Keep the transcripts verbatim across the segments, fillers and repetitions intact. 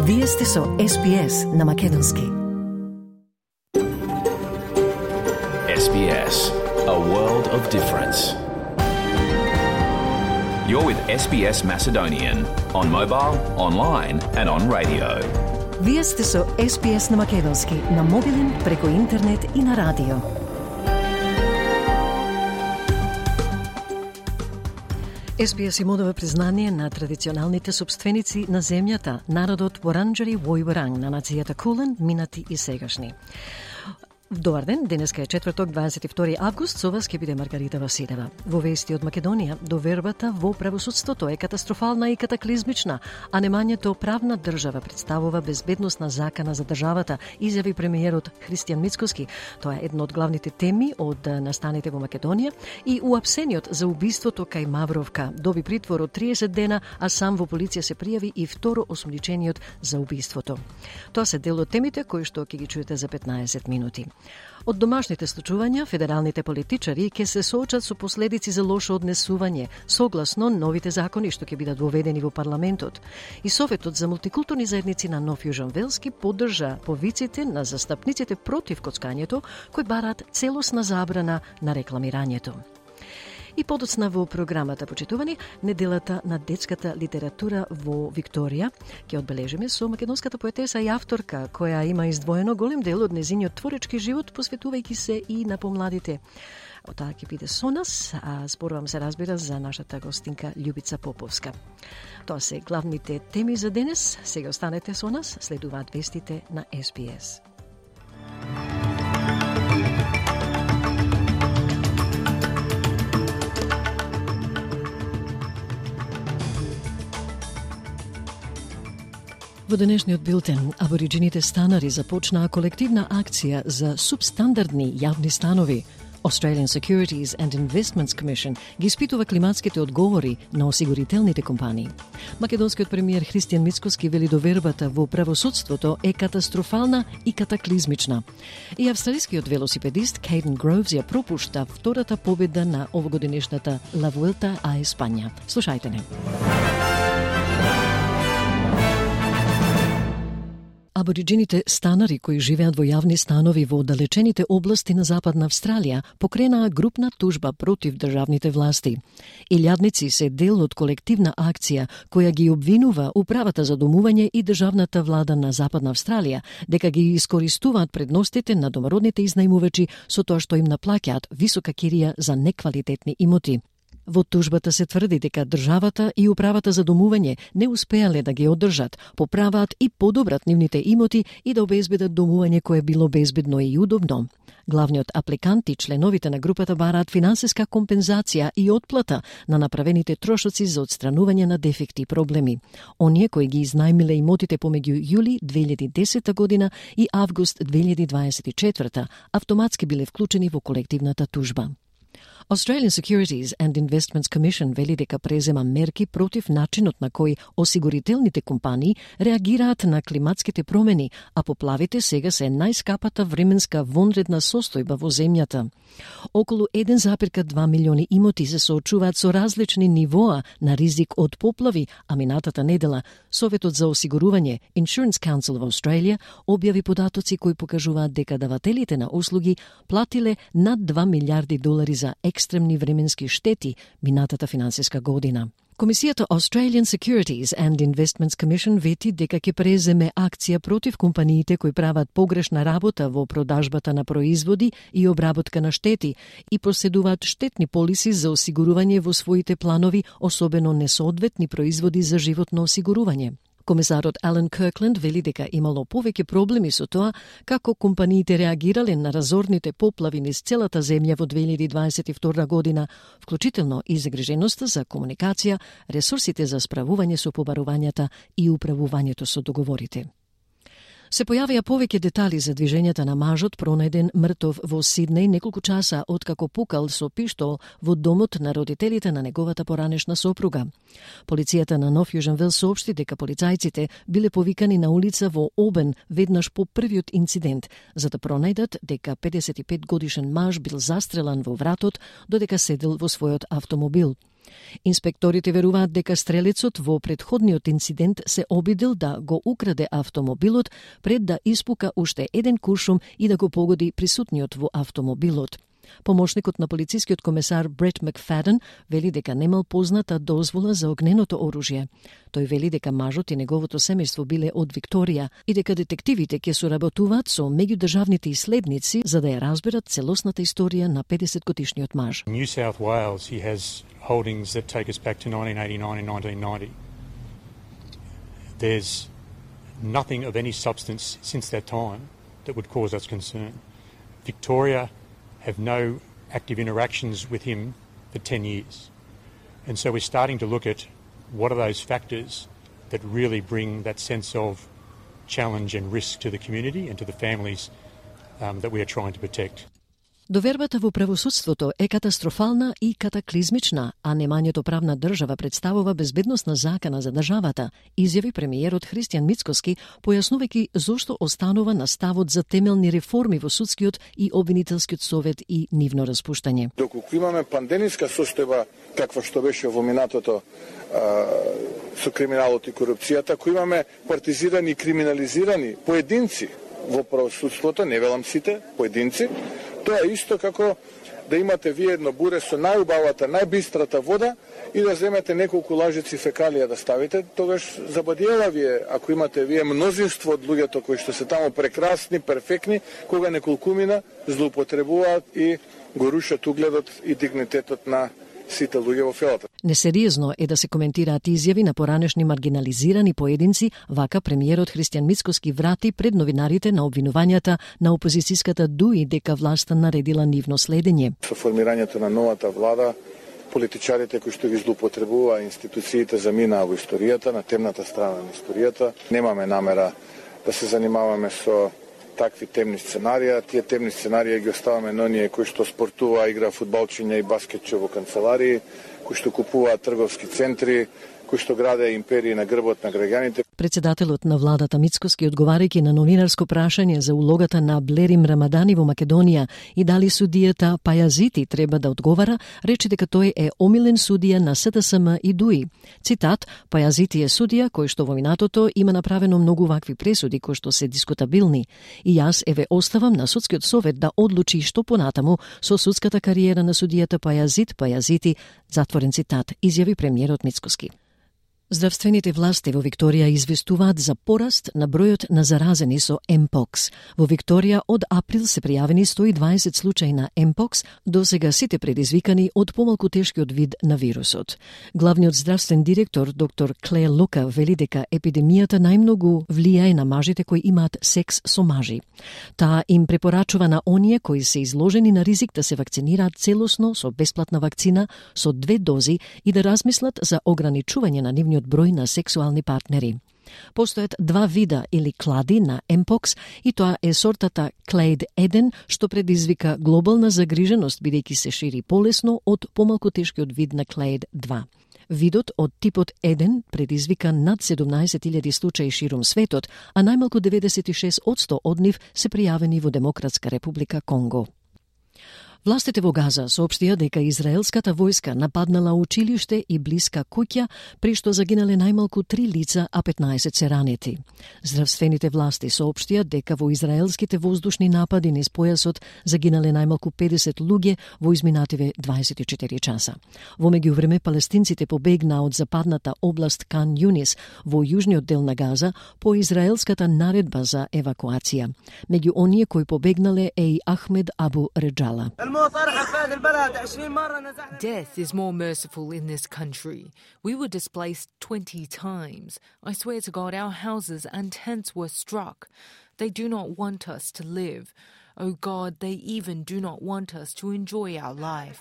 Вие сте со Ес Би Ес на Македонски. Ес Би Ес, a world of difference. You're with Ес Би Ес Macedonian on mobile, online and on radio. Вие сте со Ес Би Ес на Македонски, на мобилен, преку интернет и на радио. Ес Би Ес им одава признание на традиционалните собственици на земјата, народот Воранџари Војворанг на нацијата Кулен, минати и сегашни. Добар ден, денеска е четврток, дваесет и втори август, со вас ќе биде Маргарита Василева. Во вести од Македонија, довербата во правосудството е катастрофална и катаклизмична, а немањето правна држава представува безбедносна закана за државата, изјави премиерот Христијан Мицкоски. Тоа е една од главните теми од настаните во Македонија и уапсениот за убиството кај Мавровка доби притвор од триесет дена, а сам во полиција се пријави и второ осомничениот за убиството. Тоа се дел од темите кои што ќе ги чуете за петнаесет минути. Од домашните случувања, федералните политичари ќе се соочат со последици за лошо однесување, согласно новите закони што ќе бидат воведени во парламентот. И Советот за мултикултурни заедници на Нов Јужен Велски поддржа повиците на застапниците против коцкањето, кои бараат целосна забрана на рекламирањето. И подоцна во програмата, почитувани, неделата на детската литература во Викторија ќе одбележиме со македонската поетеса и авторка, која има издвоено голем дел од незиниот творечки живот, посветувајќи се и на помладите. Отаа ќе биде со нас, а зборувам се разбира за нашата гостинка Љубица Поповска. Тоа се главните теми за денес. Сега останете со нас, следуваат вестите на Ес Би Ес. Во денешниот билтен, абориджините станари започнаа колективна акција за субстандардни јавни станови. Australian Securities and Investments Commission ги испитува климатските одговори на осигурителните компании. Македонскиот премиер Христијан Мицкоски вели довербата во правосудството е катастрофална и катаклизмична. И австралискиот велосипедист Кейден Гроувс ја пропушта втората победа на овогодинешната Ла Вуелта а Испања. Слушајте не. Абориджините станари кои живеат во јавни станови во оддалечените области на Западна Австралија покренаа групна тужба против државните власти. Илјадници се дел од колективна акција која ги обвинува управата за домување и државната влада на Западна Австралија дека ги искористуваат предностите на домородните изнајмувачи со тоа што им наплаќаат висока кирија за неквалитетни имоти. Во тужбата се тврди дека државата и управата за домување не успеале да ги одржат, поправаат и подобрат нивните имоти и да обезбедат домување кое било безбедно и удобно. Главниот апликант и членовите на групата бараат финансиска компензација и отплата на направените трошоци за отстранување на дефекти и проблеми. Оние кои ги изнајмиле имотите помеѓу јули две илјади и десета година и август две илјади дваесет и четврта автоматски биле вклучени во колективната тужба. Australian Securities and Investments Commission вели дека презема мерки против начинот на кој осигурителните компании реагираат на климатските промени, а поплавите сега се најскапата временска вонредна состојба во земјата. Околу еден запирка два милиони имоти се соочуваат со различни нивоа на ризик од поплави, а минатата недела Советот за осигурување Insurance Council of Australia објави податоци кои покажуваат дека давателите на услуги платиле над два милиарди долари за екстремни временски штети минатата финансиска година. Комисијата Australian Securities and Investments Commission вети дека ќе преземе акција против компаниите кои прават погрешна работа во продажбата на производи и обработка на штети и проседуваат штетни полиси за осигурување во своите планови, особено несоодветни производи за животно осигурување. Комесарот Алан Киркленд вели дека имало повеќе проблеми со тоа како компаниите реагирале на разорните поплави низ целата земја во две илјади дваесет и втора година, вклучително и загриженоста за комуникација, ресурсите за справување со побарувањата и управувањето со договорите. Се појавија повеќе детали за движењата на мажот пронајден мртов во Сиднеј неколку часа откако пукал со пиштол во домот на родителите на неговата поранешна сопруга. Полицијата на Нов Јужен Велс соопшти дека полицајците биле повикани на улица во Обен веднаш по првиот инцидент, за да пронајдат дека педесет и пет годишен маж бил застрелан во вратот додека седел во својот автомобил. Инспекторите веруваат дека стрелецот во претходниот инцидент се обидел да го украде автомобилот пред да испука уште еден куршум и да го погоди присутниот во автомобилот. Помошникот на полицискиот комесар Брет Макфаден вели дека немал позната дозвола за огненото оружје. Тој вели дека мажот и неговото семејство биле од Викторија и дека детективите ќе соработуваат со меѓудржавните иследници за да ја разберат целосната историја на педесетгодишниот маж. In New South Wales he has holdings that take us back to nineteen eighty-nine and nineteen ninety. There's nothing of any substance since that time that would cause us concern. Victoria have no active interactions with him for ten years. And so we're starting to look at what are those factors that really bring that sense of challenge and risk to the community and to the families um, that we are trying to protect. Довербата во правосудството е катастрофална и катаклизмична, а немањето правна држава представува безбедносна закана за државата, изјави премиерот Христијан Мицкоски, појаснувајќи зошто останува на ставот за темелни реформи во судскиот и обвинителскиот совет и нивно распуштање. Доколку имаме пандемиска состојба каква што беше во минатото а, со криминалот и корупцијата, ако имаме партизирани и криминализирани поединци во правосудството, не велам сите, поединци, тоа е исто како да имате вие едно буре со најубавата, најбистрата вода и да земете неколку лажици фекалија да ставите, тогаш забадиела вие, ако имате вие мнозинство од луѓето кои што се таму прекрасни, перфектни, кога неколкумина злоупотребуваат и го рушат угледот и дигнитетот на сите луѓе во фелата. Несериозно е да се коментираат изјави на поранешни маргинализирани поединци, вака премиерот Христијан Мицкоски врати пред новинарите на обвинувањата на опозицијската ДУИ дека власта наредила нивно следење. Со формирањето на новата влада, политичарите кои што ги злоупотребува институциите заминаа во историјата, на темната страна на историјата. Немаме намера да се занимаваме со такви темни сценарија. Тие темни сценарија ги оставаме на оние кои што спортува, игра фудбалчиња и баскетче во канцеларии, кои што купуваат трговски центри, кои што граде империи на грбот на граѓаните. Председателот на владата Мицкоски, одговарајќи на новинарско прашање за улогата на Блерим Рамадани во Македонија и дали судијата Пајазити треба да одговара, рече дека тој е омилен судија на СДСМ и ДУИ. Цитат: Пајазити е судија кој што во минатото има направено многу вакви пресуди кои што се дискутабилни и јас еве оставам на судскиот совет да одлучи што понатаму со судската кариера на судијата Пајазит Пајазити, затворен цитат, изјави премиерот Мицкоски. Здравствените власти во Викторија известуваат за пораст на бројот на заразени со Емпокс. Во Викторија од април се пријавени сто и дваесет случаи на Емпокс, досега сите предизвикани од помалку тешкиот вид на вирусот. Главниот здравствен директор доктор Кле Лука вели дека епидемијата најмногу влијае на мажите кои имаат секс со мажи. Таа им препорачува на оние кои се изложени на ризик да се вакцинираат целосно со бесплатна вакцина со две дози и да размислат за ограничување на нивниот број на сексуални партнери. Постојат два вида или клади на Емпокс и тоа е сортата Clade еден, што предизвика глобална загриженост бидејќи се шири полесно од помалку тешкиот вид на Clade два. Видот од типот еден предизвика над седумнаесет илјади случаи ширум светот, а најмалку деветдесет и шест одсто од нив се пријавени во Демократска република Конго. Властите во Газа соопштија дека израелската војска нападнала училиште и блиска куќа, при што загинале најмалку три лица, а петнаесет се ранети. Здравствените власти соопштија дека во израелските воздушни напади низ појасот загинале најмалку педесет луѓе во изминативе дваесет и четири часа. Во меѓувреме палестинците побегнаа од западната област Кан Јунис во јужниот дел на Газа по израелската наредба за евакуација. Меѓу оние кои побегнале е и Ахмед Абу Реджала. Death is more merciful in this country. We were displaced twenty times. I swear to God, our houses and tents were struck. They do not want us to live. Oh God, they even do not want us to enjoy our life.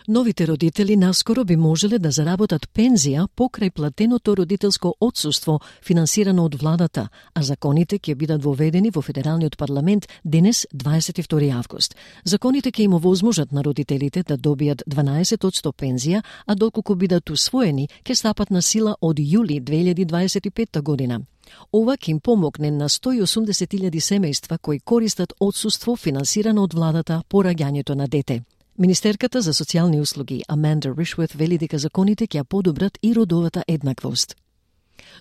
Новите родители наскоро би можеле да заработат пензија покрај платеното родителско отсуство финансирано од владата, а законите ќе бидат воведени во Федералниот парламент денес, дваесет и втори август. Законите ќе им овозможат на родителите да добијат дванаесет одсто пензија, а доколку бидат усвоени, ќе стапат на сила од јули две илјади дваесет и петта година. Ова ќе им помогне на сто и осумдесет илјади семејства кои користат отсуство финансирано од владата по раѓањето на дете. Министерката за социјални услуги Аманда Ришворт вели дека законите ќе ја подобрат и родовата еднаквост.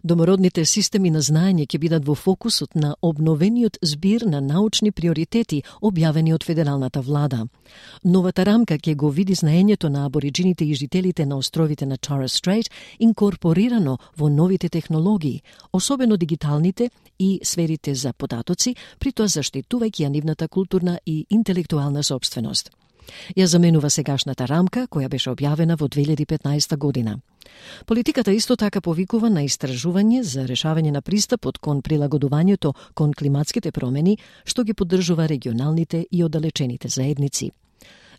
Домородните системи на знаење ќе бидат во фокусот на обновениот збир на научни приоритети објавени од федералната влада. Новата рамка ќе го види знаењето на абориджините и жителите на островите на Торres Strait инкорпорирано во новите технологии, особено дигиталните и сферите за податоци, при тоа заштитувајќи ја нивната културна и интелектуална сопственост. Ја заменува сегашната рамка, која беше објавена во две илјади и петнаесета година. Политиката исто така повикува на истражување за решавање на пристапот кон прилагодувањето кон климатските промени, што ги поддржува регионалните и оддалечените заедници.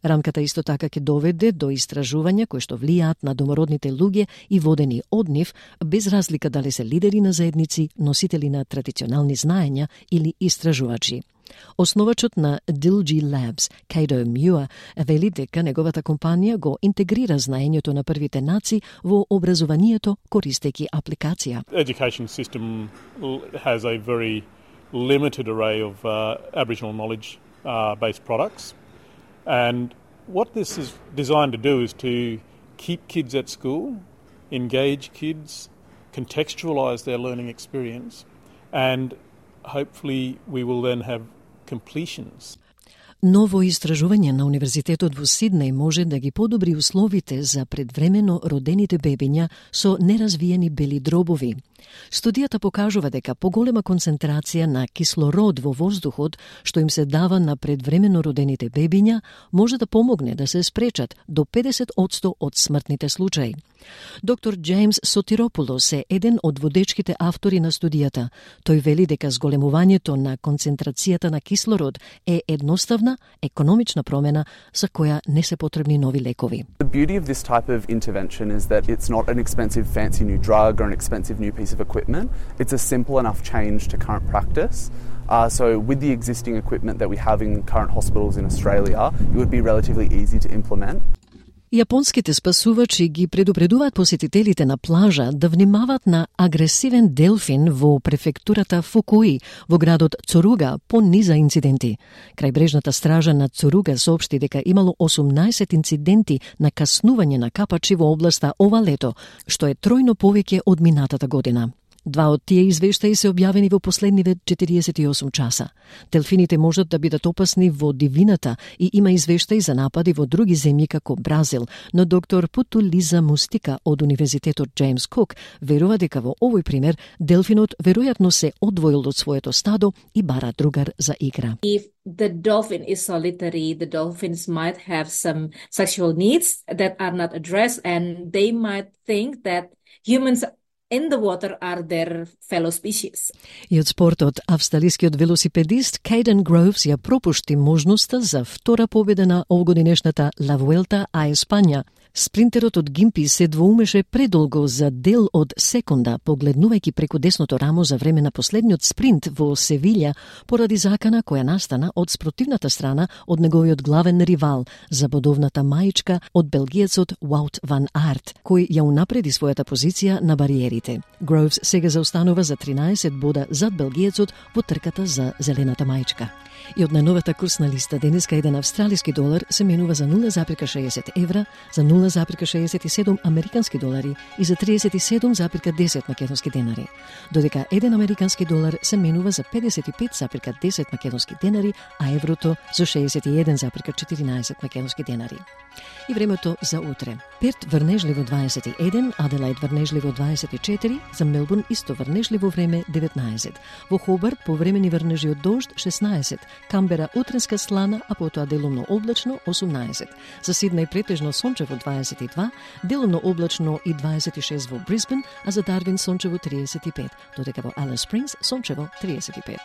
Рамката исто така ќе доведе до истражувања кои што влијаат на домородните луѓе и водени од нив, без разлика дали се лидери на заедници, носители на традиционални знаења или истражувачи. Основачот на Dilgy Labs, Cato Muir, вели дека неговата компанија го интегрира знаењето на првите нации во образованието користејќи апликација. Education system has a very limited array of uh, Aboriginal knowledge uh, based products, and what this is designed to do is to keep kids at school, engage kids, contextualise their learning experience, and hopefully we will then have completions. Ново истражување на Универзитетот во Сиднеј може да ги подобри условите за предвремено родените бебиња со неразвиени бели дробови. Студијата покажува дека поголема концентрација на кислород во воздухот, што им се дава на предвремено родените бебиња, може да помогне да се спречат до педесет одсто од смртните случаи. Доктор Джеймс Сотиропулос е еден од водечките автори на студијата. Тој вели дека зголемувањето на концентрацијата на кислород е едноставна, економична промена за која не се потребни нови лекови. The beauty of this type of intervention is that it's not an expensive fancy new drug or an expensive new piece of equipment. It's a simple enough change to current practice. Uh, so with the existing equipment that we have in current hospitals in Australia, it would be relatively easy to implement. Јапонските спасувачи ги предупредуваат посетителите на плажа да внимаваат на агресивен делфин во префектурата Фукуи, во градот Цуруга, по низа инциденти. Крајбрежната стража на Цуруга соопшти дека имало осумнаесет инциденти на каснување на капачи во областа ова лето, што е тројно повеќе од минатата година. Два од тие извештаи се објавени во последниве четириесет и осум часа. Делфините можат да бидат опасни во дивината и има извештаи за напади во други земји како Бразил, но доктор Путулиза Мустика од Универзитетот Джеймс Кук верува дека во овој пример делфинот веројатно се одвоил од своето стадо и бара другар за игра. If the dolphin is solitary, the dolphins might have some sexual needs that are not addressed, and they might think that humans in the water are their fellow species. И од спортот, австралискиот велосипедист Caden Groves ја пропушти можноста за втора победа на овгодинешната La Vuelta a España. Спринтерот од Гимпи се двоумеше предолго за дел од секунда, погледнувајќи преку десното рамо за време на последниот спринт во Севилја, поради закана која настана од спротивната страна од неговиот главен ривал, забодовната маичка од белгиецот Wout van Aert, кој ја унапреди својата позиција на бариерите. Groves сега заостанува за тринаесет бода зад белгиецот во трката за зелената маичка. И од најновата курсна листа денеска еден австралиски долар се менува за нула запирка шеесет евра, за нула запирка шеесет и седум американски долари и за триесет и седум запирка десет македонски денари, додека еден американски долар се менува за педесет и пет запирка десет македонски денари, а еврото за шеесет и еден запирка четиринаесет македонски денари. И времето за утре. Перт врнежливо дваесет и еден, Аделаид врнежливо дваесет и четири, за Мелбурн исто врнежливо време деветнаесет. Во Хобарт повремени врнежи од дожд шеснаесет, Камбера утренска слана, а потоа делумно облачно осумнаесет. За Сиднеј претежно сончево дваесет и два, делумно облачно и дваесет и шест во Брисбен, а за Дарвин сончево триесет и пет, додека во Алис Спрингс сончево триесет и пет.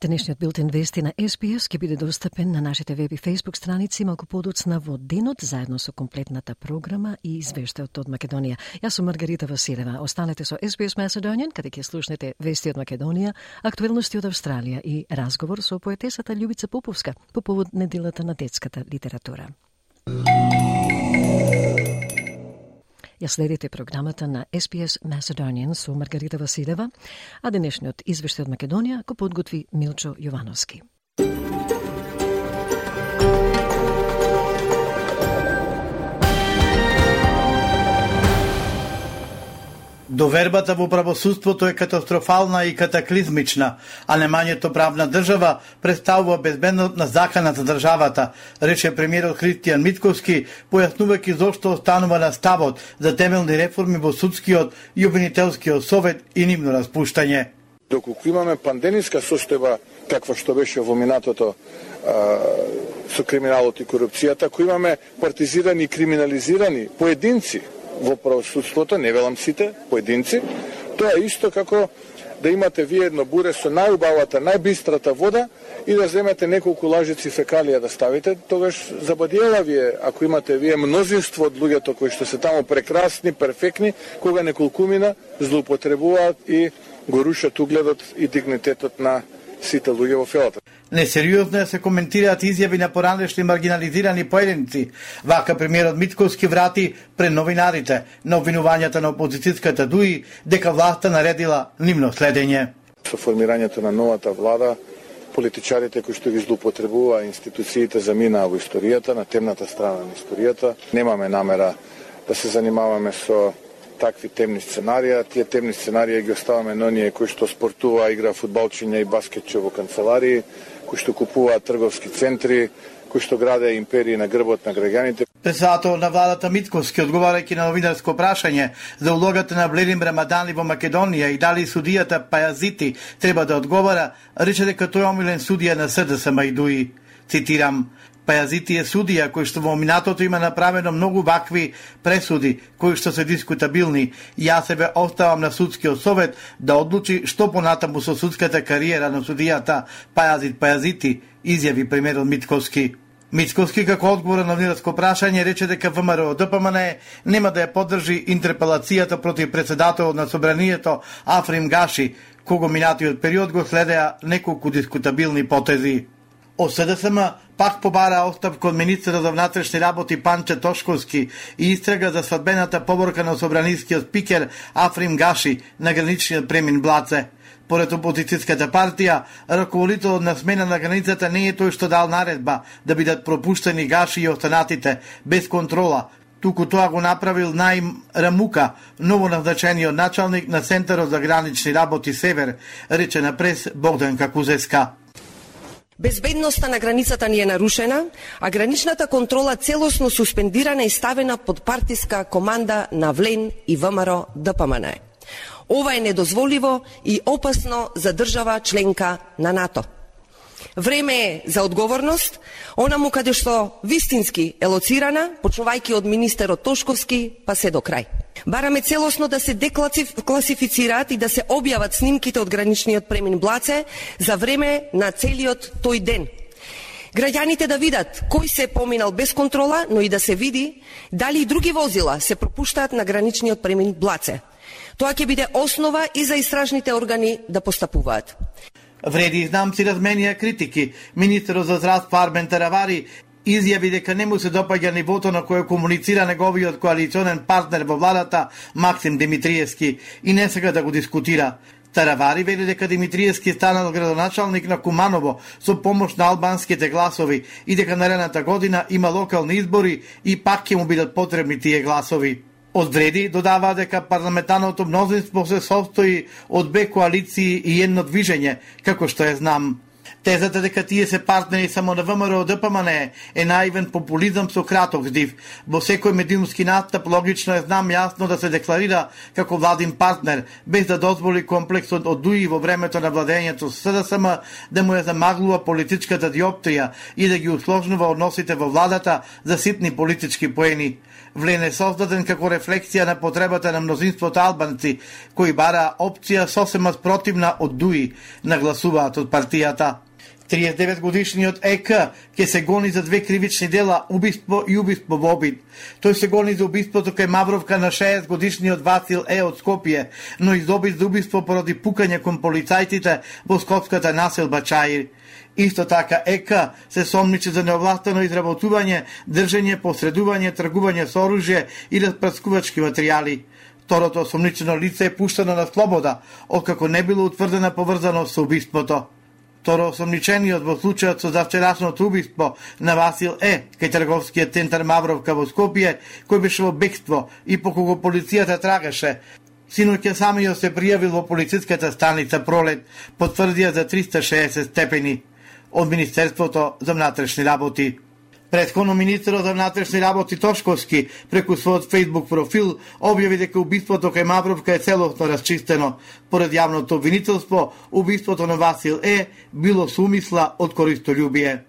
Денешниот билтен вести на Ес Би Ес ќе биде достапен на нашите веб и фейсбук страници малку подоцна во денот, заедно со комплетната програма и извештајот од Македонија. Јас сум Маргарита Василева. Останете со Ес Би Ес Macedonian, каде ќе слушнете вести од Македонија, актуелности од Австралија и разговор со поетесата Љубица Поповска по повод неделата на детската литература. Ја следите програмата на Ес Би Ес Macedonian со Маргарита Василева, а денешниот извештај од Македонија го подготви Милчо Јовановски. Довербата во правосудството е катастрофална и катаклизмична, а немањето правна држава представува безбедност на закана за државата, рече премиерот Христијан Мицковски, појаснувајќи зошто останува на ставот за темелни реформи во судскиот и обвинителскиот совет и нивно распуштање. Доколку имаме пандемиска состојба, каква што беше во минатото а, со криминалот и корупцијата, ако имаме партизирани и криминализирани поединци во правосудството, не велам сите, поединци, тоа е исто како да имате вие едно буре со најубавата, најбистрата вода и да земете неколку лажици фекалија да ставите, тогаш забадиела вие, ако имате вие мнозинство од луѓето кои што се таму прекрасни, перфектни, кога неколкумина злоупотребуваат и го рушат угледот и дигнитетот на сите луѓе во фелата. Несериозно се коментираат изјави на поранешни маргинализирани поединци. Вака премиерот Мицковски врати пред новинарите на обвинувањата на опозицијската ДУИ дека власта наредила нивно следење. Со формирањето на новата влада, политичарите кои што ги злоупотребува институциите заминаа во историјата, на темната страна на историјата. Немаме намера да се занимаваме со такви темни сценарија. Тие темни сценарија ги оставаме на оние кои што спортува, игра фудбалчиња и баскетче во канцеларии, кои што купуваат трговски центри, кои што граде империи на грбот на граѓаните. Председател на владата Мицковски, одговарајќи на новинарско прашање за улогата на Бледим Рамадани во Македонија и дали судијата Пајазити треба да одговара, рече дека тој е омилен судија на С Д С М и ДУИ. Цитирам: Пајазити е судија кој што во минатото има направено многу вакви пресуди кои што се дискутабилни. Јас себе оставам на судскиот совет да одлучи што понатаму со судската кариера на судијата Пајазит Пајазити, изјави премиерот Мицковски. Мицковски како одговор на новинарско прашање рече дека Вэ М Р О Д П М Н нема да ја поддржи интерпелацијата против председателот на собранието Африм Гаши, кого минатиот период го следеа неколку дискутабилни потези. Од С Д С М пак побара оставка од министерот за внатрешни работи Панче Тошковски и истрага за свадбената поборка на собранискиот спикер Африм Гаши на граничниот премин Блаце. Поред опозицијската партија, раководителот на смена на границата не е тој што дал наредба да бидат пропуштени Гаши и останатите без контрола, туку тоа го направил Наим Рамука, новоназначениот началник на Центарот за гранични работи Север, рече на прес Богданка Кузеска. Безбедноста на границата ни е нарушена, а граничната контрола целосно суспендирана и ставена под партиска команда на Влен и Вэ М Р О Д П М Н. Ова е недозволиво и опасно за држава членка на НАТО. Време е за одговорност, онаму каде што вистински е лоцирана, почнувајќи од министерот Тошковски, па се до крај. Бараме целосно да се декласифицираат и да се објават снимките од граничниот премин Блаце за време на целиот тој ден. Граѓаните да видат кој се поминал без контрола, но и да се види дали и други возила се пропуштаат на граничниот премин Блаце. Тоа ќе биде основа и за истражните органи да постапуваат. Вреди изнамци разменија критики. Министерот за здравство Армен Таравари изјави дека не му се допаѓа нивото на кое комуницира неговиот коалиционен партнер во владата Максим Димитриевски и не сака да го дискутира. Таравари вели дека Димитриевски станал градоначалник на Куманово со помош на албанските гласови и дека наредната година има локални избори и пак ќе му бидат потребни тие гласови. Од вреди додава дека парламентарното мнозинство се состои од две коалиции и едно движење, како што е знам. Тезата дека тие се партнери само на Вэ М Р О Д П М Н е наивен популизам со краток здив. Во секој медиумски настап логично е знам јасно да се декларира како владин партнер, без да дозволи комплексот од ДУИ во времето на владењето со С Д С М да му ја замаглува политичката диоптрија и да ги усложнува односите во владата за ситни политички поени. Влен е создаден како рефлексија на потребата на мнозинството албанци, кои бара опција сосема спротивна од ДУИ, нагласуваат од партијата. триесет и девет годишниот Е К ќе се гони за две кривични дела, убиство и убиство во обид. Тој се гони за убиството кај Мавровка на шеесет годишниот Васил Е од Скопје, но и за обид за убиство поради пукање кон полицајците во скопската населба Чаир. Исто така Е К се сомничи за неовластено изработување, држење, посредување, тргување со оружје и распрскувачки материјали. Второто осомничено лице е пуштено на слобода, откако не било утврдена поврзаност со убиството. Второ осомничениот во случајот со завчерашното убиство на Васил Е кај трговскиот центар Мавровка во Скопје, кој беше во бегство и по кого полицијата трагаше. Синоќа самиот се пријавил во полициската станица Пролет, потврдија за триста и шеесет степени од Министерството за внатрешни работи. Претходно министерот за внатрешни работи Тошковски преку својот Facebook профил објави дека убиството кај Мавровка е целосно расчистено. Поред јавното обвинителство, убиството на Васил Е било со умисла од користољубие.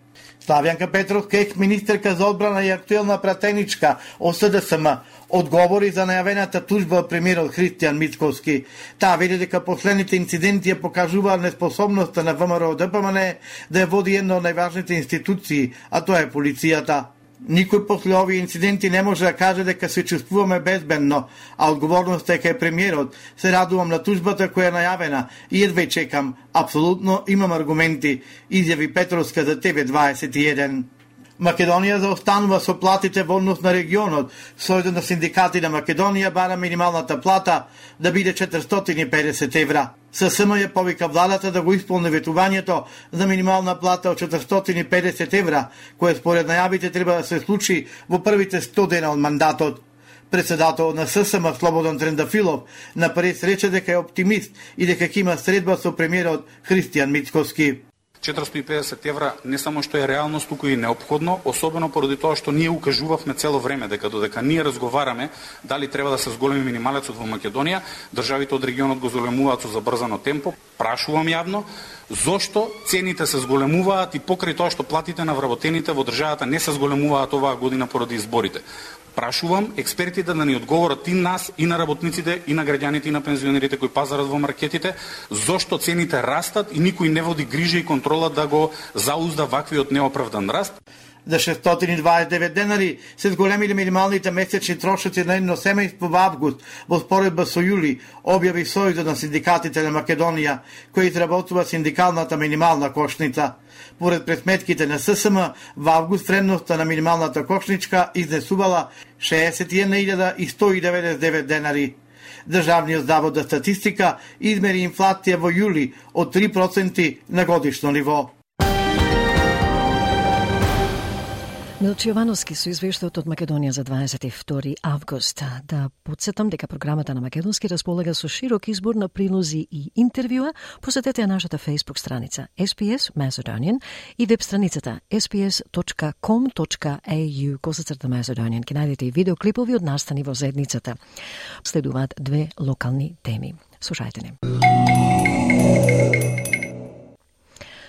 Славјанка Петровска, екс-министерка за одбрана и актуелна пратеничка од С Д С М, одговори за најавената тужба од премиерот Христијан Мицковски. Таа вели дека последните инциденти ја покажуваат неспособноста на Вэ М Р Д П М Н да ја води една од најважните институции, а тоа е полицијата. Никој после овие инциденти не може да каже дека се чувствуваме безбедно, а одговорноста е кај премиерот. Се радувам на тужбата која е најавена и едва чекам. Апсолутно имам аргументи, изјави Петровска за Т В дваесет и еден. Македонија заостанува со платите во однос на регионот. Сојузот на синдикати на Македонија бара минималната плата да биде четиристотини и педесет евра. С С М ја повика владата да го исполни ветувањето за минимална плата од четиристотини и педесет евра, кое според најавите треба да се случи во првите сто дена од мандатот. Председател на С С М Слободан Трендафилов на прес рече дека е оптимист и дека ќе има средба со премиерот Христијан Мицковски. четиристотини и педесет евра не само што е реалност, туку и неопходно, особено поради тоа што ние укажувавме цело време дека додека ние разговараме дали треба да се зголеми минималецот во Македонија, државите од регионот го зголемуваат со забрзано темпо. Прашувам јавно, зошто цените се зголемуваат и покрај тоа што платите на вработените во државата не се зголемуваат оваа година поради изборите? Прашувам експертите да ни одговорат и нас, и на работниците, и на граѓаните, и на пензионерите кои пазарат во маркетите, зошто цените растат и никој не води грижа и контрола да го заузда ваквиот неоправдан раст. За шестстотини и дваесет и девет денари се зголемиле минималните месечни трошоци на едно семејство во август во споредба со јули, објави Сојузот на синдикатите на Македонија, кој изработува синдикалната минимална кошница. Поред пресметките на С С М, во август вредноста на минималната кошничка изнесувала шеесет и една илјада и сто и деветдесет и девет денари. Државниот завод за статистика измери инфлација во јули од три проценти на годишно ниво. Милчо Јовановски со извештајот од Македонија за дваесет и втори август. Да подсетам дека програмата на Македонски располага со широк избор на прилози и интервјуа. Посетете ја нашата Facebook страница С П С Macedonian и веб страницата ес пи ес точка ком точка е ю косацрта Macedonian. Ке најдете и видеоклипови од настани во заедницата. Следуваат две локални теми. Слушајте не.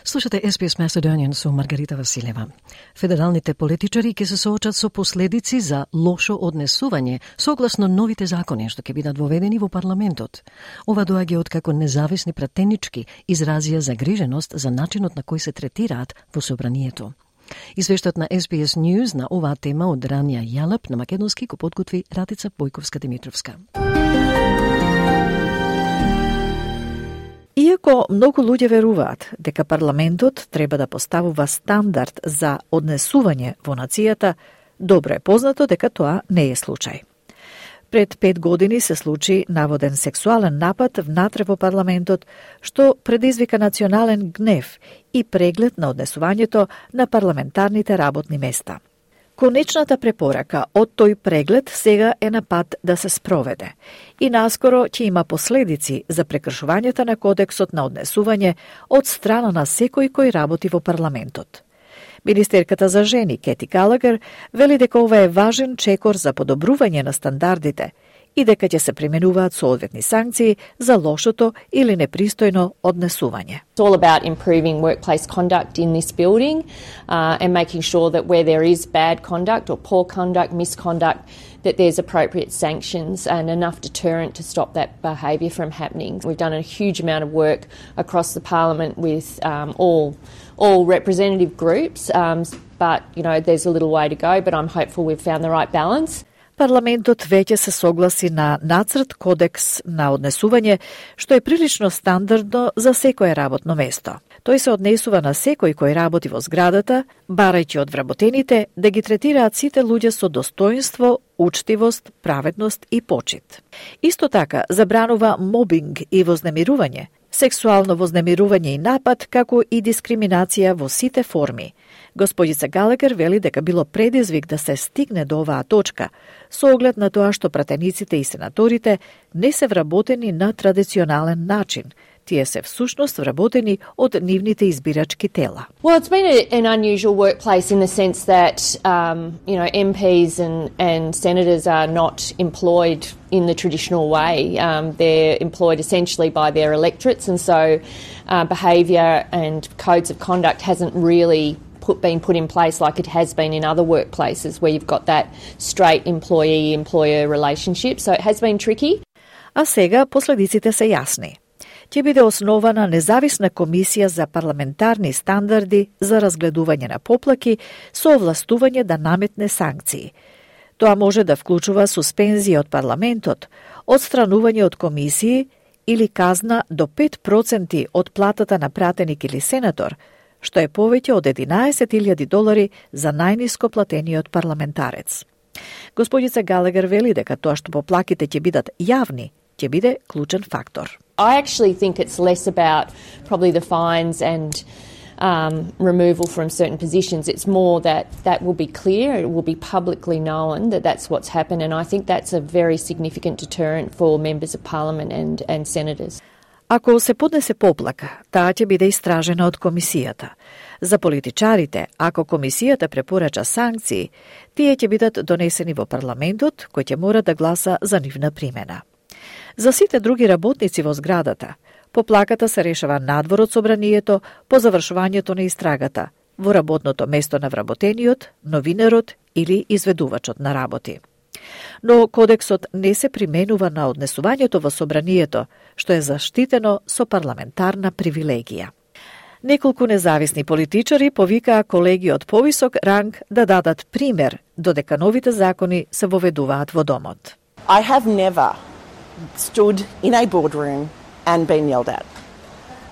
Слушате С П С Macedonian со Маргарита Василева. Федералните политичари ќе се соочат со последици за лошо однесување согласно новите закони што ќе бидат воведени во парламентот. Ова доаѓа од како независни пратенички изразија загриженост за начинот на кој се третираат во собранието. Извештајот на С П С News на оваа тема од Рания Јалап на македонски го подготви Ратица Бојковска-Димитровска. Иако многу луѓе веруваат дека парламентот треба да поставува стандард за однесување во нацијата, добро е познато дека тоа не е случај. Пред пет години се случи наводен сексуален напад внатре во парламентот, што предизвика национален гнев и преглед на однесувањето на парламентарните работни места. Конечната препорака од тој преглед сега е на пат да се спроведе и наскоро ќе има последици за прекршувањето на кодексот на однесување од страна на секој кој работи во парламентот. Министерката за жени Кети Галагер вели дека ова е важен чекор за подобрување на стандардите и дека ќе се применуваат соодветни санкции за лошото или непристојно однесување. It's all about improving workplace conduct in this building uh, and making sure that where there is bad conduct or poor conduct, misconduct, that there's appropriate sanctions and enough deterrent to stop that behaviour from happening. We've done a huge amount of work across the Parliament with um, all all representative groups, um, but you know there's a little way to go, but I'm hopeful we've found the right balance. Парламентот веќе се согласи на нацрт кодекс на однесување, што е прилично стандардно за секое работно место. Тој се однесува на секој кој работи во зградата, барајќи од вработените да ги третираат сите луѓе со достоинство, учтивост, праведност и почит. Исто така забранува мобинг и вознемирување, сексуално вознемирување и напад, како и дискриминација во сите форми. Господица Галагер вели дека било предизвик да се стигне до оваа точка, со оглед на тоа што пратениците и сенаторите не се вработени на традиционален начин. Тие се всушност вработени од нивните избирачки тела. Well, it's been a, an unusual workplace in the sense that um, you know M Ps and, and senators are not employed in the traditional way. Um, they're employed essentially by their electorates, and so uh, behaviour and codes of conduct hasn't really Put, been put in place like it has been in other workplaces where you've got that straight employee-employer relationship. So it has been tricky. А сега последиците се јасни. Ќе биде основана независна комисија за парламентарни стандарди за разгледување на поплаки со овластување да наметне санкции. Тоа може да вклучува суспензија од парламентот, одстранување од комисии или казна до пет проценти од платата на пратеник или сенатор, што е повеќе од единаесет илјади долари за најниско платениот парламентарец. Господица Галагер вели дека тоа што поплаките ќе бидат јавни, ќе биде клучен фактор. I actually think it's less about probably the fines and um, removal from certain positions. It's more that that will be clear, it will be publicly known that that's what's happened, and I think that's a very significant deterrent for members of parliament and, and senators. Ако се поднесе поплака, таа ќе биде истражена од комисијата. За политичарите, ако комисијата препорача санкции, тие ќе бидат донесени во парламентот, кој ќе мора да гласа за нивна примена. За сите други работници во зградата, поплаката се решава надвор од собранието по завршувањето на истрагата, во работното место на вработениот, новинарот или изведувачот на работи. Но кодексот не се применува на однесувањето во собранието, што е заштитено со парламентарна привилегија. Неколку независни политичари повикаа колеги од повисок ранг да дадат пример, додека новите закони се воведуваат во домот. I have never stood in a boardroom and been yelled at.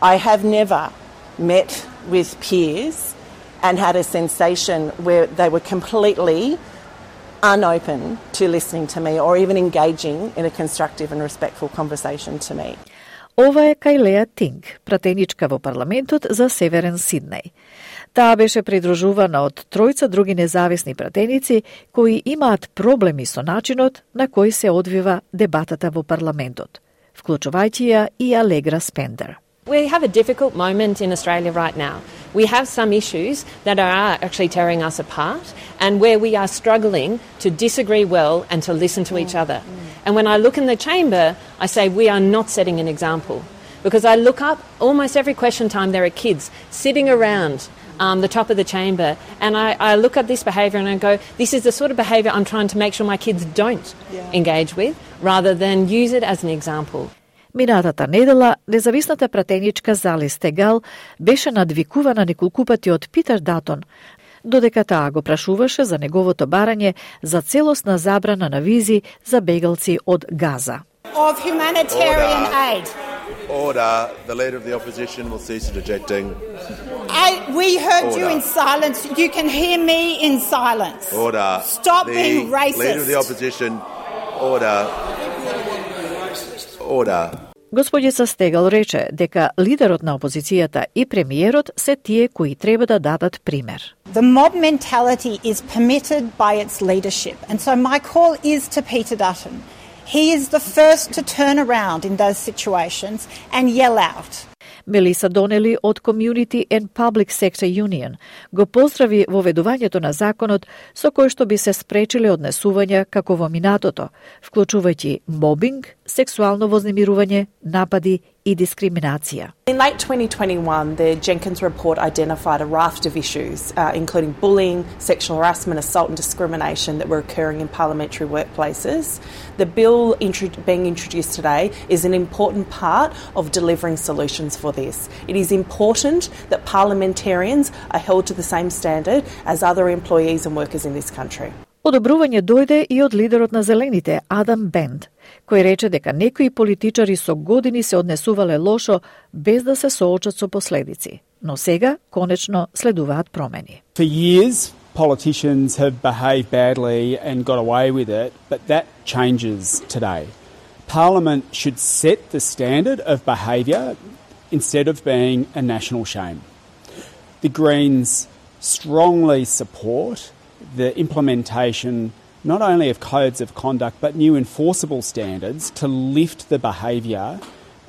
I have never met with peers and had a sensation where they were completely unopen to listening to me or even engaging in a constructive and respectful conversation to me. Ова е Кајлеа Тинг, пратеничка во парламентот за Северен Сиднеј. Таа беше придружувана од тројца други независни пратеници кои имаат проблеми со начинот на кој се одвива дебатата во парламентот, вклучувајќи ја и Алегра Спендер. We have a difficult moment in Australia right now. We have some issues that are actually tearing us apart and where we are struggling to disagree well and to listen to each other. And when I look in the chamber, I say we are not setting an example. Because I look up, almost every question time there are kids sitting around um, the top of the chamber, and I, I look at this behaviour and I go, this is the sort of behaviour I'm trying to make sure my kids don't yeah. engage with, rather than use it as an example. Минатата недела, независната пратеничка Зали Стегал беше надвикувана неколку пати од Питер Датон, додека таа го прашуваше за неговото барање за целосна забрана на визи за бегалци од Газа. Of humanitarian aid. Order. The leader of the opposition will cease interjecting. I, we heard Order. you in silence. You can hear me in silence. Order. Stop the being racist. Leader of the opposition. Order. Order. Господица Стегал рече дека лидерот на опозицијата и премиерот се тие кои треба да дадат пример. The mob mentality is permitted by its leadership, and so my call is to Peter Dutton. He is the first to turn around in those situations and yell out. Мелиса Донели од Community and Public Sector Union го поздрави воведувањето на законот со кој што би се спречиле однесувања како во минатото, вклучувајќи мобинг, сексуално вознемирување, напади и дискриминација. In late twenty twenty-one, the Jenkins report identified a raft of issues, uh, including bullying, sexual harassment, assault and discrimination that were occurring in parliamentary workplaces. The bill intro- being introduced today is an important part of delivering solutions for this. It is important that parliamentarians are held to the same standard as other employees and workers in this country. Одобрување дојде и од лидерот на Зелените, Адам Бенд, кој рече дека некои политичари со години се однесувале лошо без да се соочат со последици. Но сега, конечно, следуваат промени. For years, politicians have behaved badly and got away with it, but that changes today. Parliament should set the standard of behaviour instead of being a national shame. The Greens strongly support the implementation not only of codes of conduct but new enforceable standards to lift the behaviour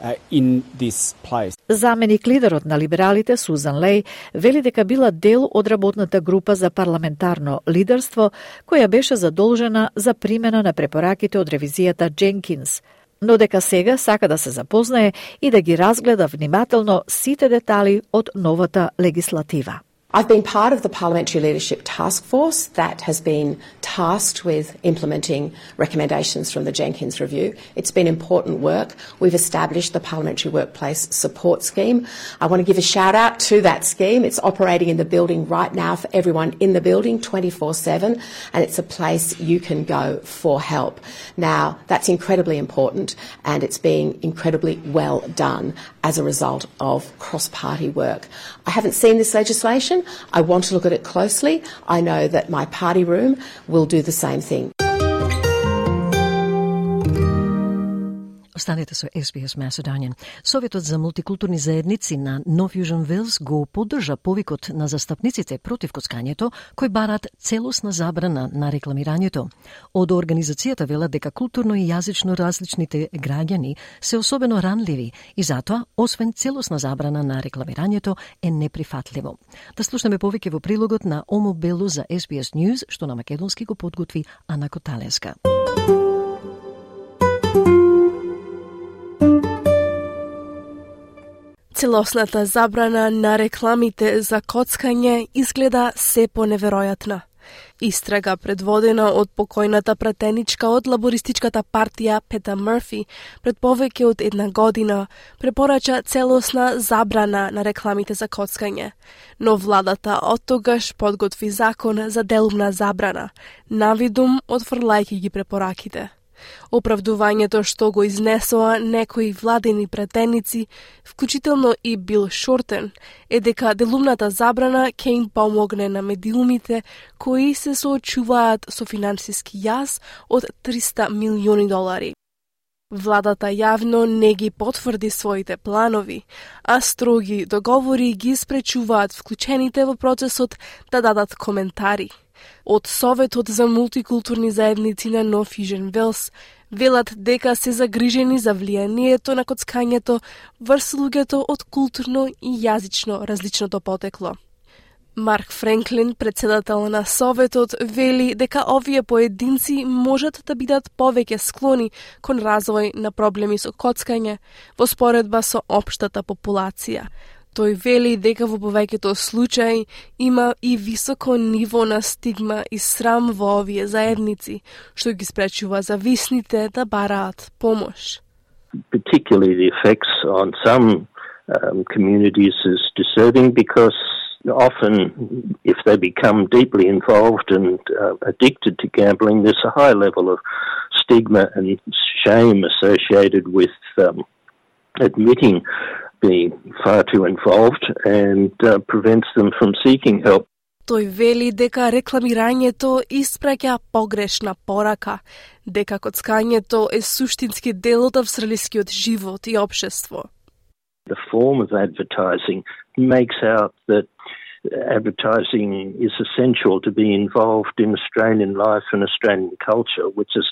uh, in this place. Заменик лидерот на либералите Сузан Леј вели дека била дел од работната група за парламентарно лидерство која беше задолжена за примена на препораките од ревизијата Дженкинс, но дека сега сака да се запознае и да ги разгледа внимателно сите детали од новата легислатива. I've been part of the Parliamentary Leadership Task Force that has been tasked with implementing recommendations from the Jenkins Review. It's been important work. We've established the Parliamentary Workplace Support Scheme. I want to give a shout out to that scheme. It's operating in the building right now for everyone in the building twenty-four seven, and it's a place you can go for help. Now, that's incredibly important, and it's being incredibly well done as a result of cross-party work. I haven't seen this legislation. I want to look at it closely. I know that my party room will do the same thing. Останете со Ес Би Ес Macedonian. Советот за мултикултурни заедници на Нов Јужен Велс го поддржа повикот на застапниците против коцкањето, кои барат целосна забрана на рекламирањето. Од организацијата велат дека културно и јазично различните граѓани се особено ранливи и затоа, освен целосна забрана на рекламирањето, е неприфатливо. Да слушнеме повеќе во прилогот на Омо Бело за Ес Би Ес News, што на македонски го подготви Ана Коталеска. Целосната забрана на рекламите за коцкање изгледа се поневеројатна. Истрага предводена од покојната пратеничка од лабористичката партија Пета Мърфи пред повеќе од една година препорача целосна забрана на рекламите за коцкање, но владата оттогаш подготви закон за делумна забрана, навидум отфрлајќи ги препораките. Оправдувањето што го изнесоа некои владени пратеници, вклучително и Бил Шортен, е дека делумната забрана ќе им помогне на медиумите кои се соочуваат со финансиски јаз од триста милиони долари. Владата јавно не ги потврди своите планови, а строги договори ги спречуваат вклучените во процесот да дадат коментари. Од Советот за мултикултурни заедници на Нов Јужен Велс велат дека се загрижени за влијанието на коцкањето врз луѓето од културно и јазично различното потекло. Марк Френклин, председател на Советот, вели дека овие поединци можат да бидат повеќе склони кон развој на проблеми со коцкање во споредба со општата популација. Тој вели дека во повеќето случаи има и високо ниво на стигма и срам во овие заедници, што ги спречува зависните да бараат помош. Particularly the effects on some um, communities is disturbing because often if they become deeply involved and uh, addicted to gambling, there's a high level of stigma and shame associated with um, admitting being far too involved and uh, prevents them from seeking help. Тој вели дека рекламирањето испраќа погрешна порака, дека коцкањето е суштински дел од австралискиот живот и општество. The form of advertising makes out that advertising is essential to be involved in Australian life and Australian culture, which is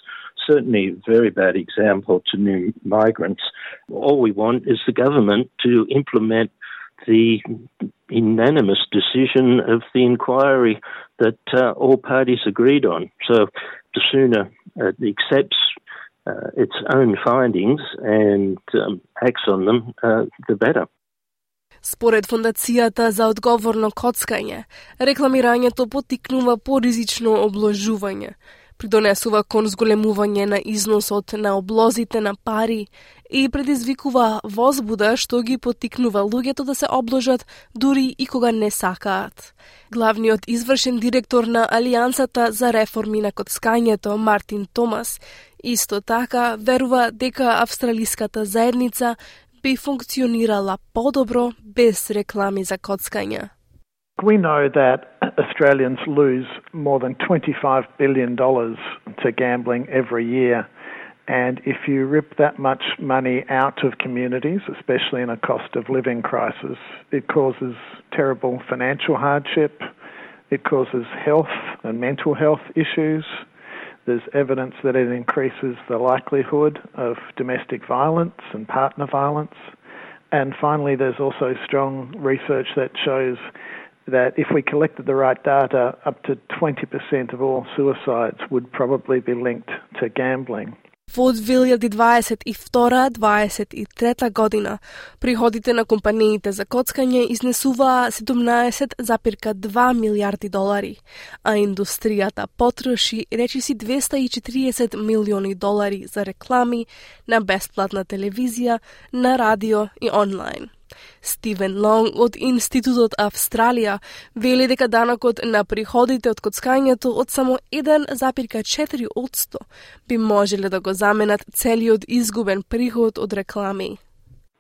certainly a very bad example to new migrants. All we want is the government to implement the unanimous decision of the inquiry that uh, all parties agreed on. So the sooner it accepts uh, its own findings and um, acts on them, uh, the better. Според Фондацијата за одговорно коцкање, рекламирањето поттикнува поризично обложување, придонесува кон зголемување на износот на облозите на пари и предизвикува возбуда што ги поттикнува луѓето да се обложат дури и кога не сакаат. Главниот извршен директор на Алијансата за реформи на коцкањето, Мартин Томас, исто така верува дека австралиската заедница би функционирала подобро без реклами за коцкање. We know that Australians lose more than twenty-five billion dollars to gambling every year. And if you rip that much money out of communities, especially in a cost of living crisis, it causes terrible financial hardship, it causes health and mental health issues. There's evidence that it increases the likelihood of domestic violence and partner violence. And finally, there's also strong research that shows that if we collected the right data, up to twenty percent of all suicides would probably be linked to gambling. Во две илјади дваесет и втора - дваесет и трета година, приходите на компаниите за коцкање изнесуваа седумнаесет запирка две милијарди долари, а индустријата потроши речиси двеста и четириесет милиони долари за реклами на бесплатна телевизија, на радио и онлайн. Стивен Лонг од Институтот Австралија вели дека данокот на приходите од коцкањето од само еден запирка четири одсто би можеле да го заменат целиот изгубен приход од реклами.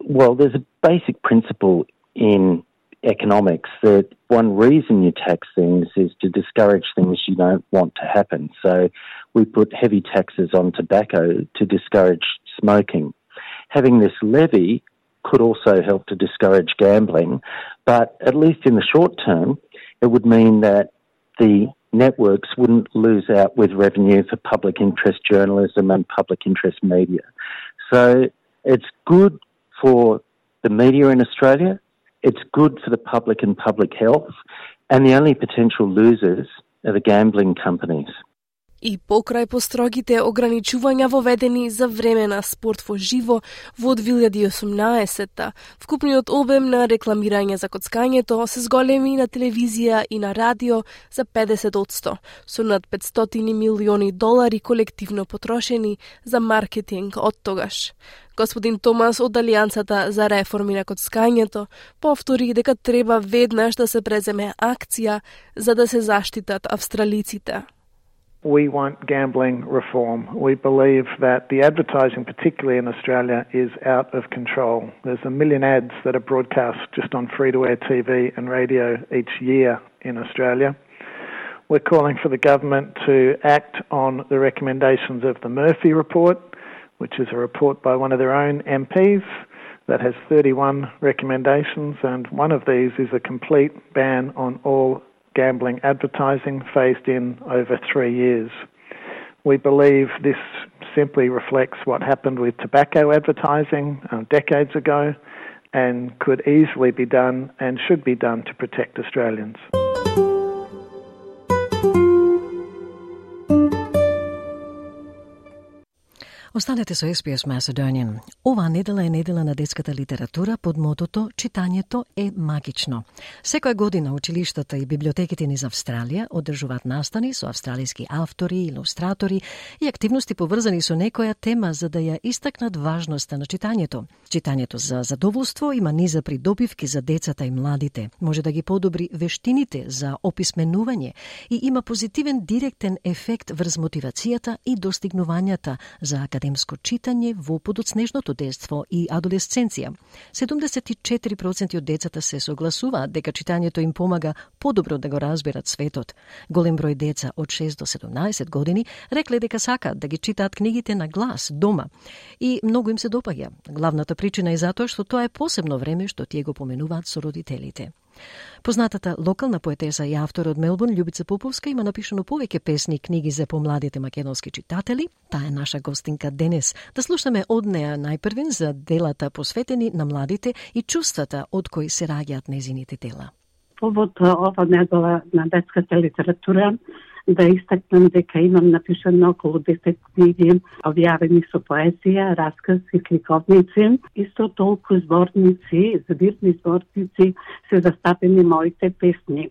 Well, there's a basic principle in economics that one reason you tax things is to discourage things you don't want to happen. So we put heavy taxes on tobacco to discourage smoking. Having this levy could also help to discourage gambling, but at least in the short term, it would mean that the networks wouldn't lose out with revenue for public interest journalism and public interest media. So it's good for the media in Australia, it's good for the public and public health, and the only potential losers are the gambling companies. И покрај построгите ограничувања воведени за време на спорт во живо во две илјади и осумнаесета, вкупниот обем на рекламирање за коцкањето се зголеми на телевизија и на радио за педесет одсто, со над петстотини милиони долари колективно потрошени за маркетинг од тогаш. Господин Томас од Алијансата за реформи на коцкањето повтори дека треба веднаш да се преземе акција за да се заштитат австралиците. We want gambling reform. We believe that the advertising, particularly in Australia, is out of control. There's a million ads that are broadcast just on free-to-air T V and radio each year in Australia. We're calling for the government to act on the recommendations of the Murphy Report, which is a report by one of their own M Ps that has thirty-one recommendations, and one of these is a complete ban on all gambling advertising phased in over three years. We believe this simply reflects what happened with tobacco advertising uh, decades ago and could easily be done and should be done to protect Australians. Останете со Ес Би Ес Macedonian. Оваа недела е недела на детската литература под мотото «Читањето е магично». Секоја година училиштата и библиотеките низ Австралија одржуваат настани со австралиски автори, илустратори и активности поврзани со некоја тема за да ја истакнат важноста на читањето. Читањето за задоволство има низа придобивки за децата и младите, може да ги подобри вештините за описменување и има позитивен директен ефект врз мотивацијата и достигнувањата за академско читање во подоцнежното детство и адолесценција. седумдесет и четири проценти од децата се согласуваат дека читањето им помага подобро да го разберат светот. Голем број деца од шест до седумнаесет години рекле дека сакаат да ги читаат книгите на глас дома и многу им се допаѓа. Главната причина е затоа што тоа е посебно време што тие го поменуваат со родителите. Познатата локална поетеса и автор од Мелбурн, Љубица Поповска, има напишано повеќе песни и книги за помладите македонски читатели. Таа е наша гостинка денес. Да слушаме од неа најпрвин за делата посветени на младите и чувствата од кои се раѓаат незините дела. Повод ова недела на детската литература да истакнам дека имам напишано околу десет книги објавени со поезија, расказ и ликовници. Исто толку зборници, збирни зборници се застапени моите песни.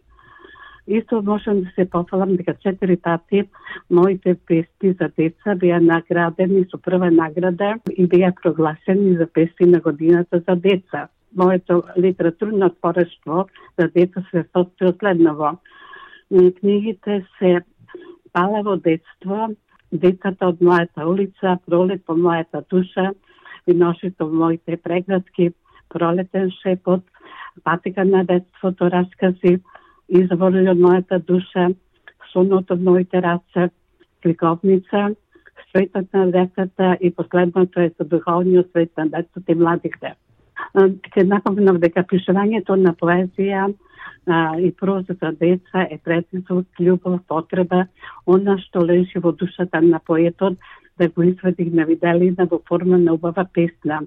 Исто можам да се пофалам дека четири пати моите песни за деца беа наградени со прва награда и беа прогласени за песни на годината за деца. Моето литературно творештво за деца се состои од следново. Книгите се Палево детство, Децата од мојата улица, Пролет по мојата душа, Виношито во моите преградки, Пролетен шепот, Патека на детството, раскази, Извори од мојата душа, Сонот од моите раце, Кликовница, Светот на децата и последното е за духовниот свет на децата и младите. Ке напомнам дека пишувањето на поезија а, и проза за деца е предизвик, љубов, потреба, она што лежи во душата на поетот, да го извади на виделина во форма на убава песна.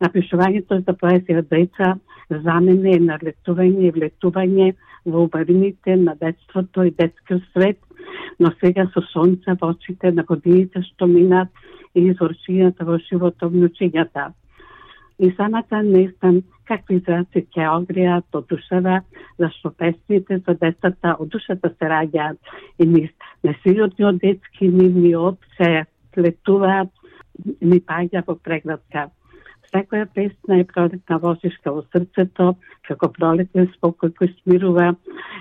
Напишувањето за поезија за деца за мене е налетување и влетување во убавините на детството и детскиот свет, но сега со сонце во очите на годините што минат и извршињата во животот внучињата. И самата не знам какви изрази ќе огријат од душава, зашто песните за децата од душата се раѓаат и низ несилотниот детски нивниот се слетуваат, ни паѓа во преградка. Секоја песна е пролетна возишка во срцето, како пролетен спокој кој смирува,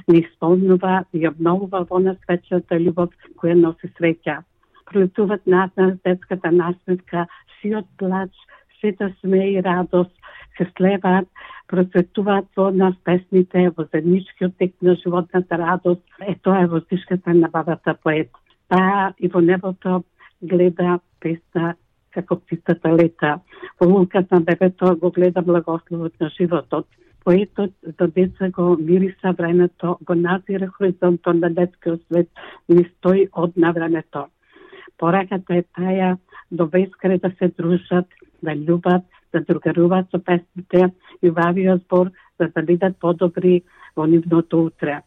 ни исполнува и обновува во нас вечната љубов која носи среќа. Пролетуваат над нас детската насметка, сиот плач, сета смеј и радост, се слеваат, процветуваат во нас песните, во заедничкиот тек на животната радост. Е, тоа е воздишката на бабата поет. Таа и во небото гледа песна како птицата лета. Во луката на бебето го гледа благословот на животот. Поетот за деца го мириса времето, го назира хоризонтот на детскиот свет, ни стои од на времето. Пораката е таја до бескрај да се дружат, да љубат, да другаруваат со песните и убавиот збор, за да бидат подобри во нивното утре.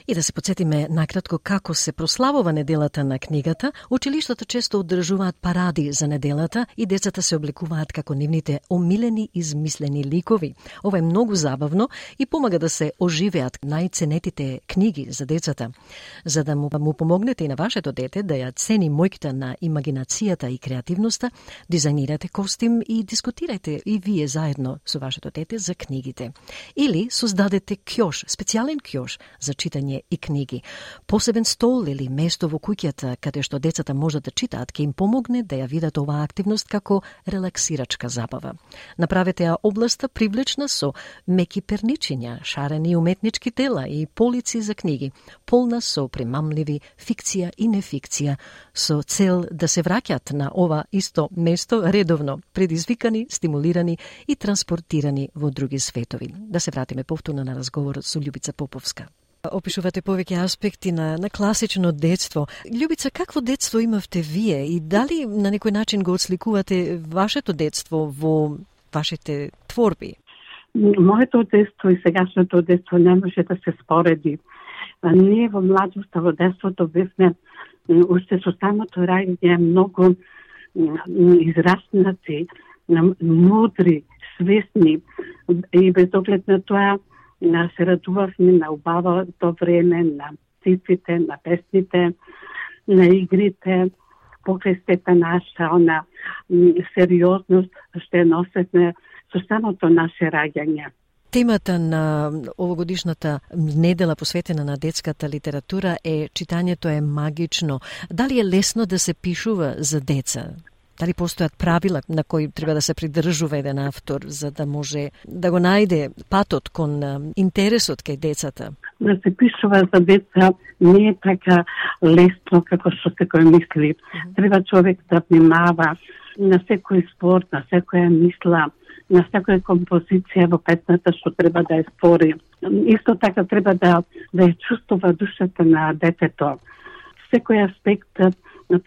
И да се подсетиме накратко како се прославува неделата на книгата, училиштата често одржуваат паради за неделата и децата се облекуваат како нивните омилени измислени ликови. Ова е многу забавно и помага да се оживеат најценетите книги за децата. За да му, му помогнете и на вашето дете да ја цени мојката на имагинацијата и креативноста, дизајнирате костим и дискутирате и вие заедно со вашето дете за книгите. Или создадете кјош, специјален кјош за читање и книги. Посебен стол или место во куќата каде што децата можат да читаат ќе им помогне да ја видат оваа активност како релаксирачка забава. Направете ја областа привлечна со меки перничиња, шарени уметнички дела и полици за книги, полна со примамливи фикција и нефикција, со цел да се враќат на ова исто место редовно, предизвикани, стимулирани и транспортирани во други светови. Да се вратиме повторно на разговорот со Љубица Поповска. Опишувате повеќе аспекти на, на класично детство. Љубица, какво детство имавте вие и дали на некој начин го отсликувате вашето детство во вашите творби? Моето детство и сегашното детство не може да се спореди. Ние во младоста, во детството бевме уште со самото раѓање многу израснати, мудри, свесни и без оглед на тоа се радувавме на убавото време, на цифрите, на песните, на игрите, покрај сета наша, она сериозност што ја носевме со самото наше раѓање. Темата на овогодишната недела посветена на детската литература е читањето е магично. Дали е лесно да се пишува за деца? Дали постојат правила на кои треба да се придржува еден автор за да може да го најде патот кон интересот кај децата? Да се пишува за деца не е така лесно како што секој мисли. Треба човек да внимава на секој збор, на секоја мисла, на секоја композиција во песната што треба да ја створи. Исто така треба да, да ја чувствува душата на детето. Секој аспект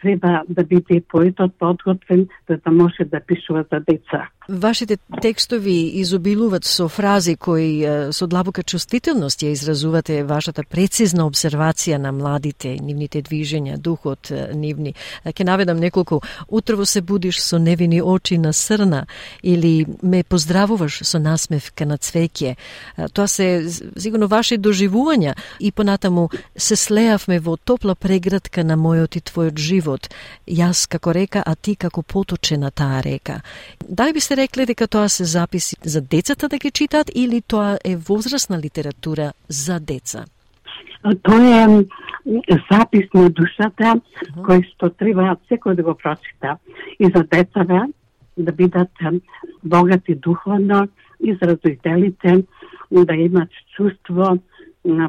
треба да биде поетот подготвен за да може да пишува за деца. Вашите текстови изобилуваат со фрази кои со длабока чувствителност ја изразувате вашата прецизна обсервација на младите, нивните движења, духот нивни. Ќе наведам неколку. Утрово се будиш со невини очи на срна или ме поздравуваш со насмевка на цвеќе. Тоа се сигурно ваши доживувања и понатаму се слеавме во топла преградка на мојот и твојот живот. Јас како река, а ти како поточе на таа река. Дали би се рекле дека тоа се записи за децата да ги читаат или тоа е возрастна литература за деца? Тоа е запис на душата uh-huh. кој што треба секој да го прочита. И за децата да бидат богати духовно, изразителите, да имат чувство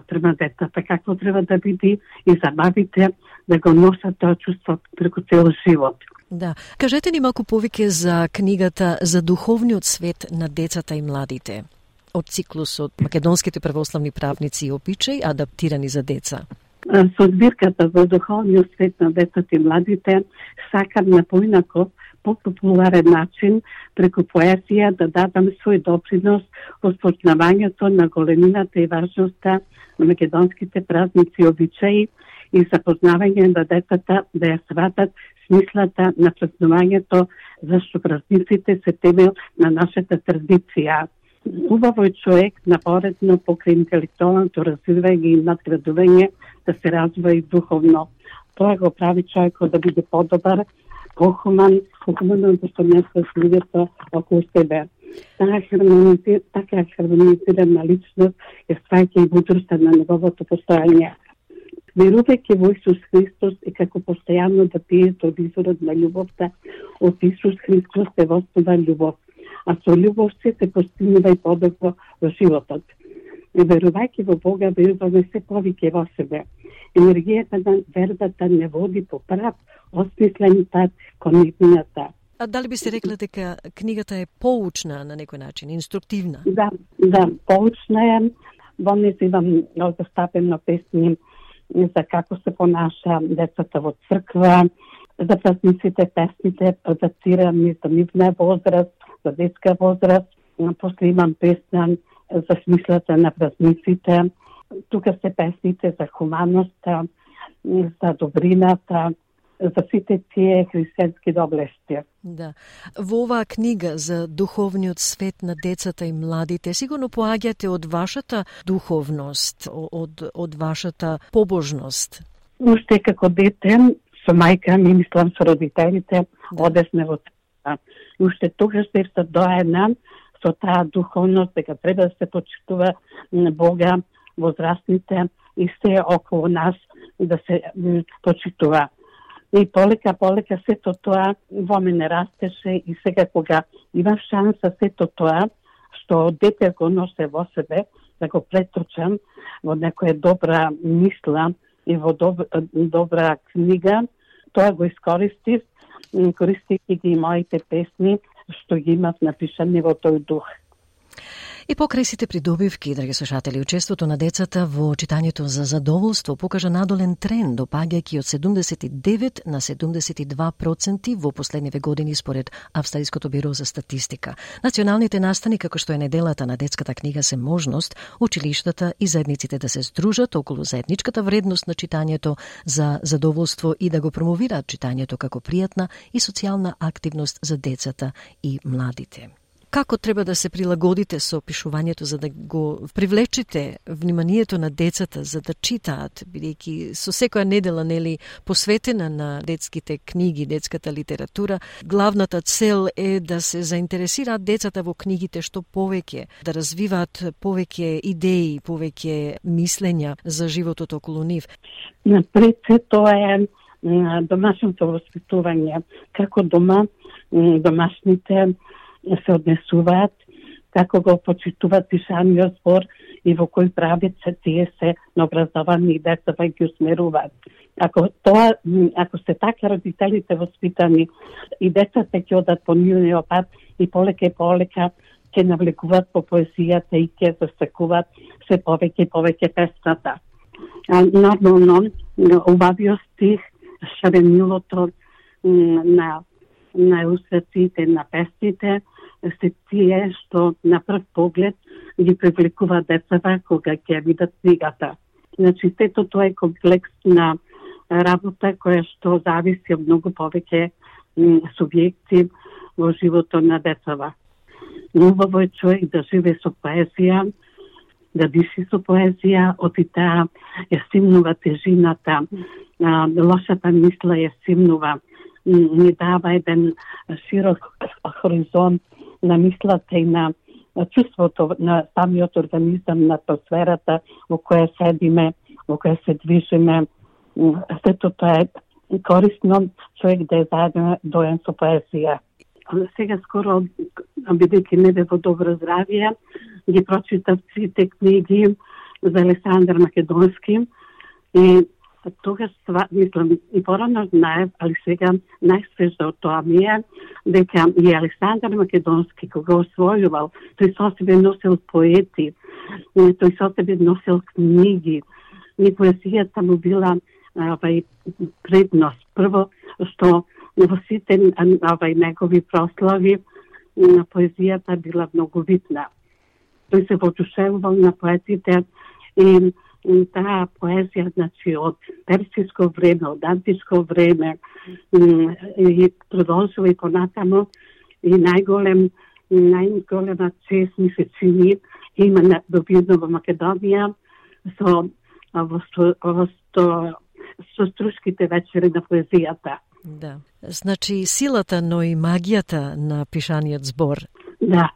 према децата какво треба да биде и за бабите да го носат тоа чувство преку цел живот. Да. Кажете ни малку повеќе за книгата За духовниот свет на децата и младите од циклусот Македонските православни правници и обичаи, адаптирани за деца. Со збирката За духовниот свет на децата и младите сакам на поинаков, популарен начин преку поезија да дадам свој допринос во спознавањето на големината и важноста на македонските празници и обичаи и запознавање на децата да ја сватат смислата на празнувањето, зашто празниците се темел на нашата традиција. Убаво е човек напоредно покрај интелектуалното развивање и надградување да се развива и духовно. Тоа го прави човекот да биде подобар, похуман, похумано да се несва с луѓето околу себе. Таа хармонизир, така хармонизирана личност е сваќа и мудроста на неговото постојање. Верувајќи во Исус Христос и како постојано да пиете од изворот на љубовта, од Исус Христос се вознува љубов, а со љубов се се постигнува и подобро во животот. Верувајќи во Бога, веруваме се повеќе во себе. Енергијата на вербата не води по прав, осмислен пат кон истината. А дали би се рекла дека книгата е поучна на некој начин, инструктивна? Да, да, поучна е. Во неја имам застапено песни за како се понаша децата во црква, за празниците, песните, адаптирани за нивна возраст, за детска возраст. После имам песна за смислата на празниците. Тука се песните за хуманоста, за добрината, за сите тие христијански доблести. Да. Во оваа книга за духовниот свет на децата и младите, сигурно поаѓате од вашата духовност, од, од вашата побожност. Уште како дете, со мајка ми, мислам со родителите, да. Одесме во црква. Уште тогаш се доедна со таа духовност, дека треба да се почитува Бога, возрастните и се околу нас да се почитува. И полека, полека сето тоа во мене растеше и сега кога имам шанса сето тоа што дете го носе во себе, да го преточам во некоја добра мисла и во доб, добра книга, тоа го искористив, користејќи ги моите песни што ги имав напишани во тој дух. И покрај сите придобивки, драги слушатели, учеството на децата во читањето за задоволство покажа надолен тренд, допаѓајќи од седумдесет и девет на седумдесет и два проценти во последниве години според Австралиското биро за статистика. Националните настани, како што е неделата на детската книга, се можност училиштата и заедниците да се здружат околу заедничката вредност на читањето за задоволство и да го промовираат читањето како пријатна и социјална активност за децата и младите. Како треба да се прилагодите со пишувањето за да го привлечете вниманието на децата за да читаат, бидејќи со секоја недела нели посветена на детските книги, детската литература, главната цел е да се заинтересираат децата во книгите што повеќе, да развиваат повеќе идеи, повеќе мислења за животот околу нив. Пред се тоа е домашното воспитување, како дома домашните се однесуваат, како го почитуваат пишаниот збор и во кој правец тие се наобразовани и децата ги усмеруваат. Ако тоа, ако се така родителите воспитани и децата ќе одат по нивниот пат и полека и полека ќе навлекуваат по поезијата и ќе засекуваат се повеќе и повеќе песната. Нормално, убавиот стих, шаренилото на, на усраците на песните се тие што на прв поглед ги привлекува децата кога ќе видат книгата. Значи, сето тоа е комплексна работа која што зависи од многу повеќе субјекти во животот на децата. Убаво е човек да живе со поезија, да диши со поезија, од и таа е симнува тежината, а, лошата мисла е симнува, ни дава еден широк хоризонт на мислата и на чувството на самиот организам, на атмосферата во која седиме, во која се движиме. Сето тоа е корисно човек да е заедно доен со поезија. Сега скоро, бидејќи не бе во добро здравје, ги прочитав сите книги за Александар Македонски и тогаш, мислам, и порано знаев, али сега најсвежо од тоа ми е дека и Александар Македонски, кога освојувал, тој со себе носил поети, тој со себе носил книги, и поезијата му била авај предност. Прво, што во сите авај негови прослави поезијата била многу видна. Тој се воодушевувал на поетите и таа поезија, значи, од персиско време, од античко време и продолжува и понатамо и најголем, најголема чест ми се чини има на добивно во Македонија со во во со струшките вечери на поезијата. Да. Значи силата, но и магијата на пишаниот збор. Да.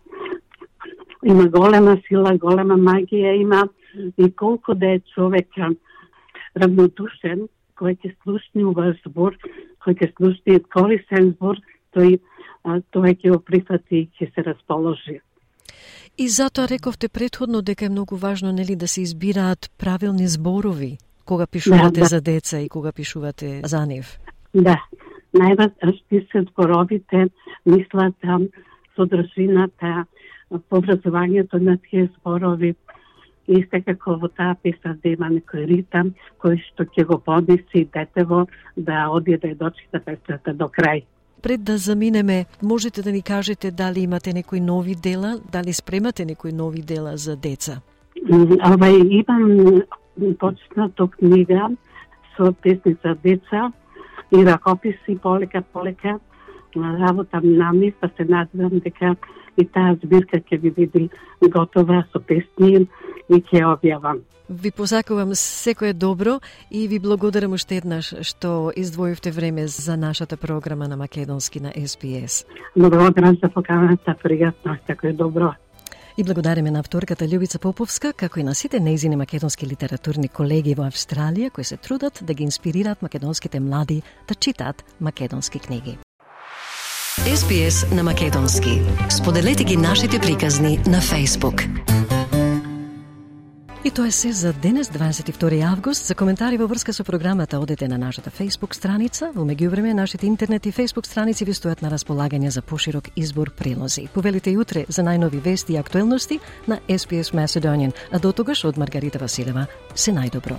Има голема сила, голема магија има и колку да е човек равнодушен, кој ќе слушне овој збор, кој ќе слушне корисен збор, тој тој ќе го прифати и ќе се расположи. И затоа рековте претходно дека е многу важно, нели, да се избираат правилни зборови кога пишувате да, да. за деца и кога пишувате за нив. Да. Најважни се зборовите, мислата, содржината, поврзувањето на тие зборови и секако во таа песна да има некој ритам кој што ќе го поднеси детево да оди да ја дочита песната до крај. Пред да заминеме, можете да ни кажете дали имате некои нови дела, дали спремате некои нови дела за деца? Ова имам почнато книга со песни за деца и ракописи полека полека работам на нив, па се надевам дека и таа збирка ќе ви биде готова со песни и ќе објавам. Ви посакувам секое добро и ви благодарам уште еднаш што издвоивте време за нашата програма на македонски на Ес Би Ес. Благодарам за поканата, пријатно, секое добро. И благодариме на авторката Љубица Поповска, како и на сите нејзини македонски литературни колеги во Австралија кои се трудат да ги инспирираат македонските млади да читаат македонски книги. Ес Би Ес на македонски. Споделете ги нашите приказни на Facebook. И тоа е се за денес, дваесет и втори август. За коментари во врска со програмата одете на нашата Facebook страница. Во меѓувреме, нашите интернет и Facebook страници ви стојат на располагање за поширок избор прилози. Повелите и утре за најнови вести и актуелности на Ес Би Ес Macedonian. А до тогаш од Маргарита Василева, се најдобро.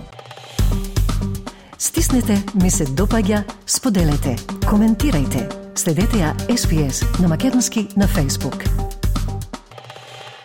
Стиснете, ми се допаѓа, споделете, коментирајте. Следете ја Ес Би Ес на македонски на Facebook.